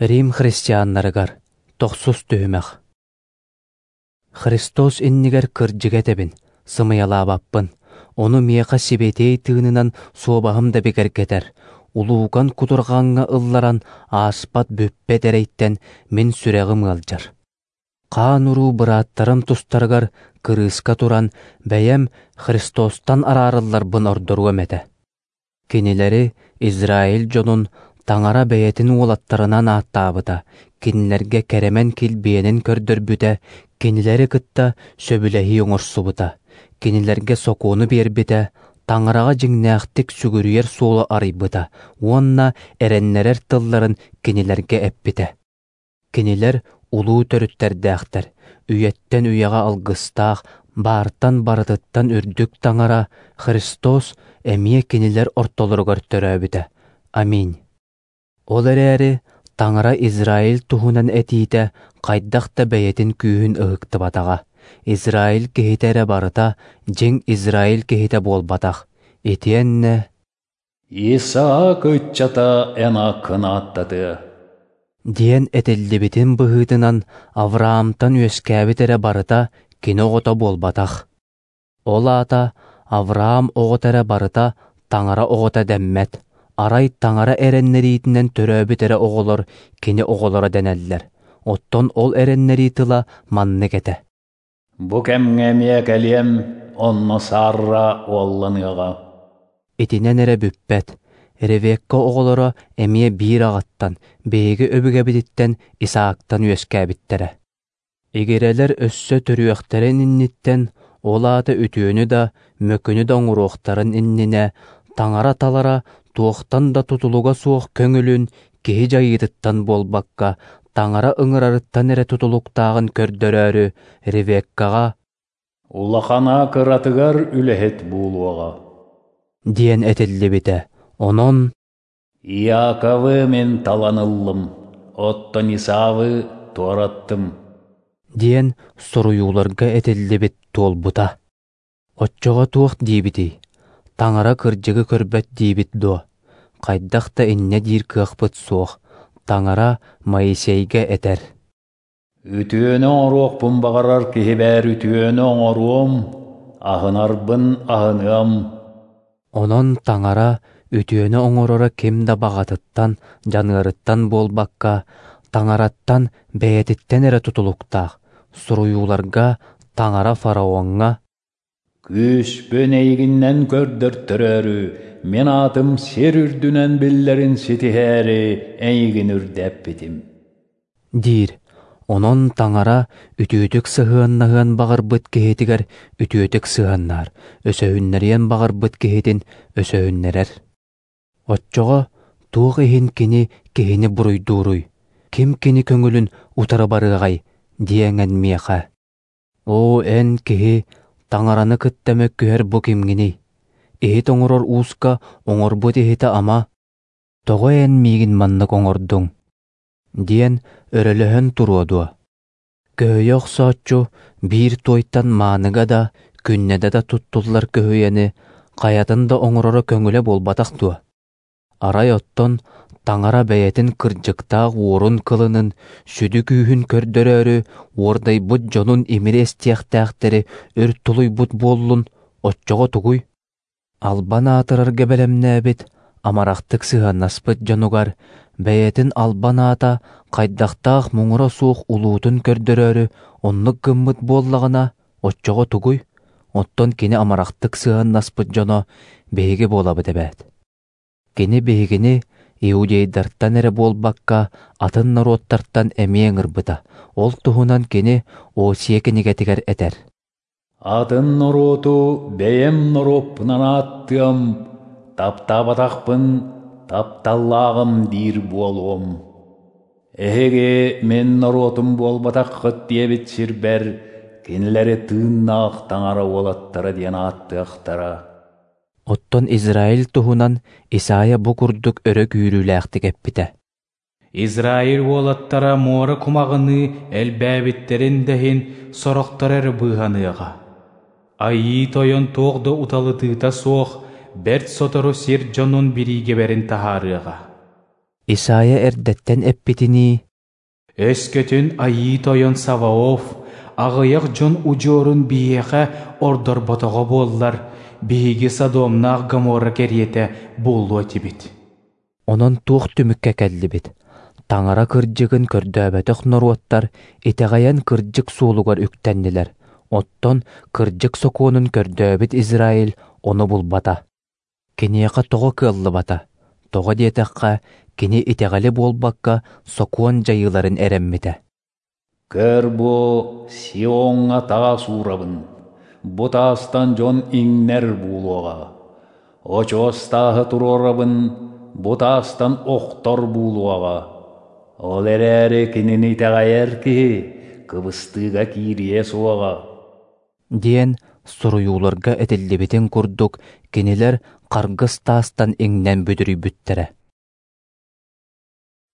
Рим христианнарыгар тохсус түһүмэх. Христос иннигэр кырдьыгы этэбин, сымыйалаабаппын. Ону миэхэ сибэтиэй тыынынан суобаһым да бигэргэтэр. Улуукан кутурҕаҥҥа ылларан ааспат бүппэт эрэйтэн мин сүрэҕим ыалдьар. Хаан-уруу бырааттарым тустарыгар кырыыска туран, бэйэм Христостан араарылларбын ордоруом этэ. Кинилэри Израиль дьонун Таҥара бэйэтин уолаттарынан ааттаабыта, кинилэргэ кэрэмэн килбиэнин көрдөрбүтэ, кинилэри кытта сөбүлэһии оҥорсубута, кинилэргэ сокуону биэрбитэ, Таҥараҕа дьиҥнээхтик сүгүрүйэр суолу арыйбыта уонна эрэннэрэр тылларын кинилэргэ эппитэ. Кинилэр улуу төрүттэрдээхтэр, үйэттэн үйэҕэ алгыстаах, баартан барытыттан үрдүк Таҥара Христос эмиэ кинилэр ортолоругар төрөөбүтэ. Аминь. Ол эрээри Таҥара Израиль туһунан этиитэ хайдах да бэйэтин күүһүн ыһыктыбатаҕа. Израиль киһитэ эрэ барыта дьиҥ Израиль киһитэ буолбатах. Итиэннэ «Исаак ыччата эн ааккын ааттатыа» диэн этиллибитин быһыытынан Авраамтан үөскээбит эрэ барыта кини оҕото буолбатах. Ол аата Авраам оҕото эрэ барыта Таҥара оҕото дэммэт. Арай Таҥара эрэннэриитинэн төрөөбүт эрэ оҕолор кини оҕолоро дэнэллэр. Оттон ол эрэннэрии тыла маннык этэ. «Бу кэмҥэ эмиэ кэлиэм, онно Сарра уолланыаҕа». Итинэн эрэ бүппэт. Ревекка оҕолоро эмиэ биир аҕаттан, биһиги өбүгэбититтэн Исаактан үөскээбиттэрэ. Игирэлэр өссө төрүөхтэрин инниттэн, ол аата үтүөнү да, мөкүнү да оҥоруохтарын иннинэ, Таҥара талара туохтан да тутулуга суох көҥүлүн киһи дьайыытыттан буолбакка, Таҥара ыҥырарыттан эрэ тутулуктааҕын көрдөрөөрү Ревеккаҕа «Улахана кыратыгар үлэһит буолуоҕа» диэн этиллибитэ. Онон «Иаковы мин талан ыллым, оттон Исавы туораттым» диэн суруйууларга этиллибит туолбута. Оччоҕо туох диибитий? Таҥара кырдьыгы көрбөт диибит дуо? Хайдах да инньэ диир кыахпыт суох. Таҥара Моисейга этэр: «Үтүөнү оҥоруохпун баҕарар киһибэр үтүөнү оҥоруом, аһынарбын аһыныам». Онон Таҥара үтүөнү оҥороро ким да баҕатыттан, дьаныарыттан буолбакка, Таҥараттан бэйэтиттэн эрэ тутулуктаах. Суруйууларга Таҥара фараоҥҥа «Күүспүн эйигиннэн көрдөртөрөөрү, мин аатым сир үрдүнэн биллэрин ситиһээри эйигин үрдэппитим» диир. Онон Таҥара үтүөтүк сыһыаннаһыан баҕарбыт киһитигэр үтүөтүк сыһыаннаһар, өсөһүннэриэн баҕарбыт киһитин өсөһүннэрэр. Оччоҕо туох иһин кини киһини буруйдууруй? Ким кини көҥүлүн утары барыаҕай диэҥэн миэхэ. Оо, эн киһи, Таҥараны кытта мөккүһэр бу кимҥиний? Иһит оҥорор ууска оҥорбут иһитэ ама, тоҕо эн миигин маннык оҥордуҥ? Диэн өрөлөһөн туруо дуо? Көһүйэ охсооччу биир туойтан мааныга да, күннэдэ да туттуллар көһүйэни хайатын да оҥороро көҥүлэ буолбатах дуо? Арай оттон Таҥара бэйэтин кырдьыктаах уорун кылынын, сүдү күүһүн көрдөрөөрү уордайбыт дьонун имири эстиэхтээхтэри өр тулуйбут буоллун, оччоҕо тугуй? Албан аатырарга бэлэмнээбит, амарахтык сыһыаннаспыт дьонугар бэйэтин албан аата хайдахтаах муҥура суох улуутун көрдөрөөрү оннук гыммыт буоллаҕына, оччоҕо тугуй? Оттон кини амарахтык сыһыаннаспыт дьоно биһиги буолабыт эбээт. Кини биһигини иудейдартан эрэ буолбакка, атын норуоттартан эмиэ ыҥырбыта. Ол туһунан кини Осия кинигэтигэр этэр. «Атын норуоту бэйэм норуоппунан ааттыам, таптаабатахпын тапталлааҕым диир буолуом. Эһиги мин норуотум буолбатаххыт диэбит сирбэр кинилэри тыыннаах Таҥара уолаттара диэн ааттыахтара». Оттон Израиль туһунан Исайя бу курдук өрө күүрүүлээхтик эппитэ. Израиль уолаттара муора кумаҕыныы элбээбиттэрин да иһин сорохторо эрэ быыһаныаҕа. Айыы Тойон туох да уталытыыта суох, бэрт сотору сир дьонун бириигэбэрин таһаарыаҕа. Исайя эрдэттэн эппитинии: «Өскөтүн Айыы Тойон Саваоф аҕыйах дьон удьуорун биһиэхэ ордорботоҕо буоллар, биһиги Содомнаах Гоморра кэриэтэ буолуо этибит». Онон туох түмүккэ кэллибит? Таҥара кырдьыгын көрдөөбөтөх норуоттар итэҕэйэн кырдьык суолугар үктэннилэр, оттон кырдьык сокуонун көрдөөбүт Израиль ону булбата. Киниэхэ тоҕо кыаллыбата? Тоҕо диэтэххэ, кини итэҕэли буолбакка, сокуон дьайыыларын эрэммитэ. Көр бу Сиоҥҥа таас уурабын, бу таастан дьон иҥнэр буолуоҕа. Очуос тааһы туруорабын, бу таастан охтор буолуоҕа. Ол эрээри кинини итэҕэйэр киһи кыбыстыыга киириэ суоҕа. Диэн суруйууларга этиллибитин курдук, кинилэр харгыс таастан иҥнэн бүдүрүйбүттэрэ.